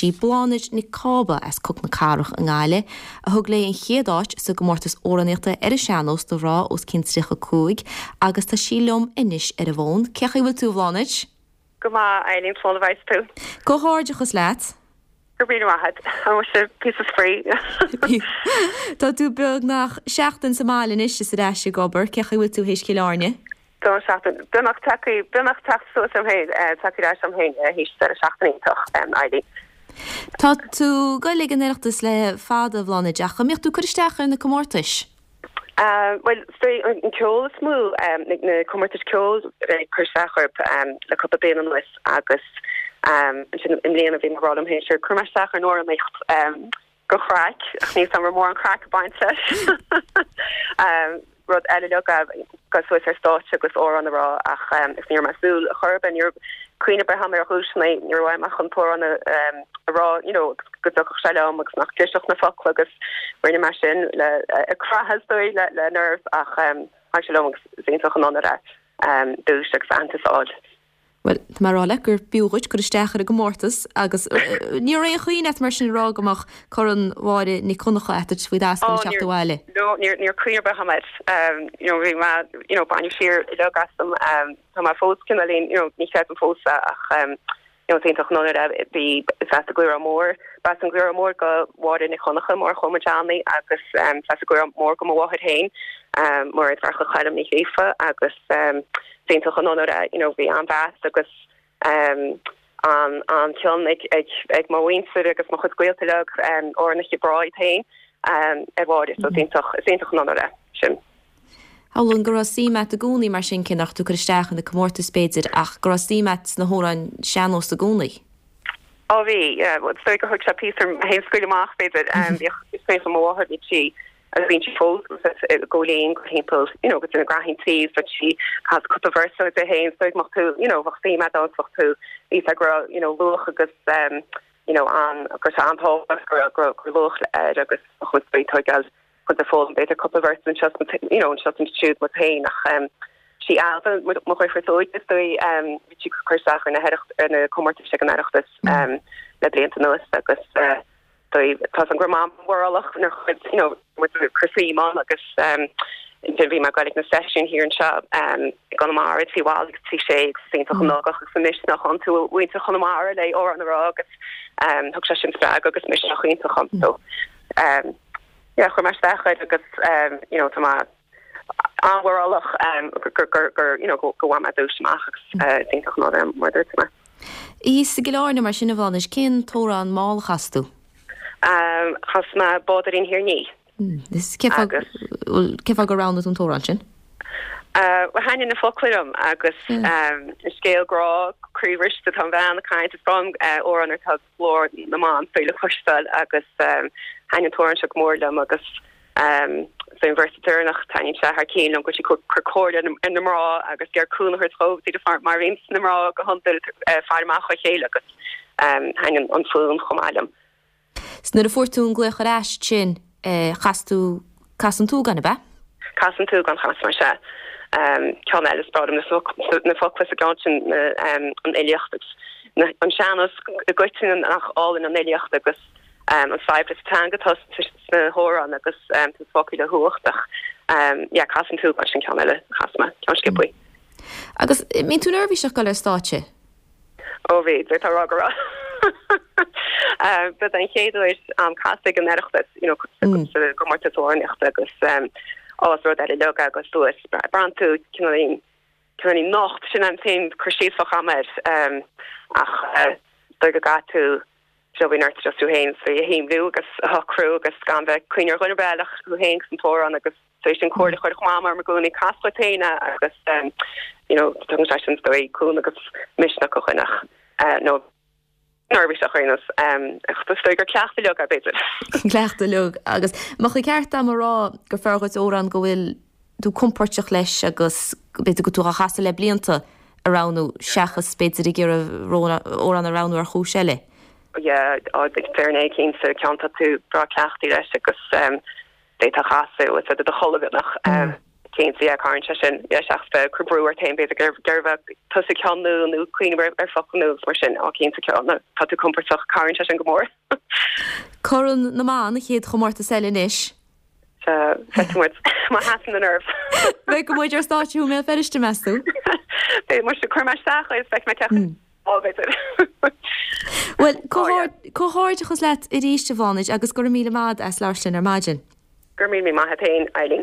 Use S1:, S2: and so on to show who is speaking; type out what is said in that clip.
S1: Sí Bláthnaid Nic Cába as Coc na Cathrach i nGaillimh a thug léi an chéad áit sa gcomórtas amhránaíochta ar an sean-nós do mhná os cionn 35 agus tá sí liom anois ar an bhfón. Cén chaoi a bhfuil tú, a Bhláthnaid?
S2: Go maith, Eileen, slán a bheas tú.
S1: Comhghairdeachas leat.
S2: Go raibh míle maith agat. Tá muise píosa spraoi.
S1: Tá tú beagnach seachtain sa mbaile anois is ar ais ag obair. Cén chaoi a bhfuil tú théis Chill Airne?
S2: Don seachtain. Beagnach tagtha, beagnach teacht suas orm féin, tagtha ar ais orm féin théis deireadh seachtaine iontach, Eileen.
S1: Tá tú ag goil ag an Oireachtas le fada, a Bhláthnaid, ach an mbíodh tú ag cur isteach ar na comórtais?
S2: Bhuel, is dóigh an ceol is mó, na comórtais ceoil ag cur isteach orthu le cúpla bliain anuas agus ansin i mbliana bhí mé ag rá liom féin, sure, cuirfidh mé isteach ar an amhránaíocht. Don chraic, ach níl 's a'm raibh mórán craic ag baint leis. Rud eile uilig é dul suas ar stáitse agus amhrán a rá ach is ní raibh mé ag súil chor ar bith, ní raibh cuimhne ar bith a'm ar dhuaiseanna, ní raibh uaim ach an t-amhrán a rá you know go dtiocfadh sé liom agus nach gclisfeadh na focla agus rinne mé sin le ag croitheadh is dóigh le le nerves ach tháinig sé liom agus is iontach an onóir é duais agus aitheantas a fháil.
S1: Bhuel, tá mé ag rá leat gur b'fhiú dhuit cur isteach ar an gcomórtas agus ní raibh aon chuimhne agat mar sin a rá go mbeadh Corn Mháire Nic Dhonncha agat faoi d'ascaill ag teacht abhaile.
S2: No, níor níor cuimhne ar bith agam air. You know, bhí mé, you know, baineadh siar uilig asam. Tá mé fós cineáilín, you know, ní chreidim fós é ach you know, is iontach an onóir é. Bhí, is as an gCaorach Mór, b'as an gCaorach Mór do Mháire Nic Dhonncha, Máire Chóil Johnny agus is as an gCaorach Mór do mo mháthair féin, Máiréad Mharcaigh Choilm Ní Ghríofa agus Is iontach an onóir é, you know, bhí an-mheas agus an an-chion ag ag ag mo mhuintir agus mo chuid gaolta uilig, amhránaithe breá iad féin, ar Mháire, so is iontach, is iontach an onóir é sin.
S1: Shamhlóinn go raibh suim agat i gcónaí mar sin, cé nach raibh tú ag cur isteach ar na comórtais b'fhéidir, ach go raibh suim agat sna hamhráin sean-nós i gcónaí.
S2: Ó bhí, yeah, is dóigh gur thug sé píosa orm féin scaoileadh amach b'fhéidir, bhíodh, is cuimhin liom mo mháthair, bhí sí agus bíonn sí fós ag gabháil fhoinn go thimpeall you know go dtí na graithí tí bheadh sí ag casadh cúpla véarsa di féin so mbeadh tú you know bheadh suim agat ann bheadh tú bhí sé go raibh you know luach agus um, you know an go raibh sé an-tábhachtach go raibh go raibh go raibh luach air agus bheadh muid ag tógáil chun de foghlaim b'fhéidir cúpla véarsa anseo you know anseo ansiúd muid féin ach um, sí Ailbhe mo dheirfiúr is óige is dóigh um, bhí sí ag cur isteach ar na ar na comórtais ag an Oireachtas um, le blianta anuas agus uh, dóigh, tá 's a'm go raibh Mam mórálach nuair chuir you know muid ag cur suim ann agus ansin bhí mé ag goil ag na seisiúin thiar anseo i gConamara Tigh Mholly agus Tigh Sé agus is iontach an ugach agus an misneach iontu mhuintir Chonamara le amhrán a rá agus thug sé sin spreagadh agus misneach iontach dom so yeah chuir mé isteach air agus you know tá mé an-mhórálach gur gur you know go bhfuair mé duais amach agus is iontach an onóir é mar a dúirt mé.
S1: Thíos i gCill Airne mar sin a Bhláthnaid, cén t-amhrán mall a chas tú?
S2: Chas mé Bád Ar an Thír Ní.
S1: Is cén fáth cén fáth gur roghnaigh tú an t-amhrán sin?
S2: Bhuel thaitnigh na focla liom agus scéal grá croíbhriste atá an bhean ag caint is breá liom amhráin ar tá glór na mban faoi le cloisteáil agus thaitnigh an t-amhrán seo go mór liom agus sa véarsa deireanach taitníonn sé thar cionn liom go bhfuil sí ag cur comhairle ar na mná agus ag iarraidh cúnamh a thabhairt dhóibh díreach mar mar a bhíonns na mná go hiondúil faire amach dá chéile agus thaitnigh an fonn chomh maith liom.
S1: 'S nuair a fuair tú an glaoch ar ais ansin chas tú Cas an tSúgáin, ab ea?
S2: Cas an tSúgáin chas mé, sea. Ceann eile is breá liom na focla sa gceann sin, an fhilíocht agus an sean-nós i gcoitinne nach álainn an fhilíocht agus an saibhreas teanga atá sna hamhráin agus tá na focla le huacht ach yeah Cas an tSúgáin sin ceann eile a chas mé, ceann sciobthaí.
S1: Agus mbíonn tú neirbhíseach ag dul ar stáitse?
S2: Ó bhí, d'fhéadfá a rá go raibh. Ba den chéad uair a'm casadh ag an Oireachtas, you know, sa gcomórtas amhránaíochta agus ó is rud eile uilig é dul suas. Braitheann tú cineáilín, cineáilín nocht, sin an t-aon cur síos a bheadh a'm air. Ach is dóigh go gcaithfidh tú you know, bíonn ort just tú féin a shamhlú agus a shocrú agus gan bheith ag cuimhneamh ar dhuine ar bith eile ach thú féin agus an t-amhrán agus tar éis an comhairle a chuirfeadh Mam orm i gcónaí cas dhuit féin é agus you know tugann sé sin is dóigh cúnamh agus misneach do dhuine ach nó neirbhíseach ar aon nós ach is dóigh gur cleachtadh uilig é b'fhéidir.
S1: Cleachtadh uilig agus mbeadh an ceart a'm a rá gur fearr dhuit amhrán go bhfuil tú compóirteach leis agus b'fhéidir go bhfuil tú á chasadh le blianta a roghnú seachas b'fhéidir ag iarraidh amhrán a roghnú ar chúis eile.
S2: Yeah, déarfainn é cinnte, ceann atá tú breá cleachtaithe leis agus d'fhéadfá a chasadh i do chodladh beagnach. Cinnte, yeah, cabhraíonn sé sin, yeah, seachas bheith ag cur brú ort féin, b'fhéidir ag iarraidh bheith tusa ag ceann nua nó cuimhneamh ar ar focal nua agus mar sin, á cinnte, nuair tá tú compordach, cabhraíonn sé sin go mór.
S1: Corn na mBan, an chéad chomórtas eile anois.
S2: Sea, feicfidh muid má sheasann na nerves.
S1: Beidh muid ar stáitse i mBéal Feirste, meas tú?
S2: Beidh muid, cuirfidh mé isteach é is feicfidh mé cé acu b'fhéidir.
S1: Bhuel, comhghairdeachas leat arís, a Bhláthnaid, agus go raibh míle maith agat as labhairt linn ar maidin.
S2: Go raibh míle maith agat féin, Eileen.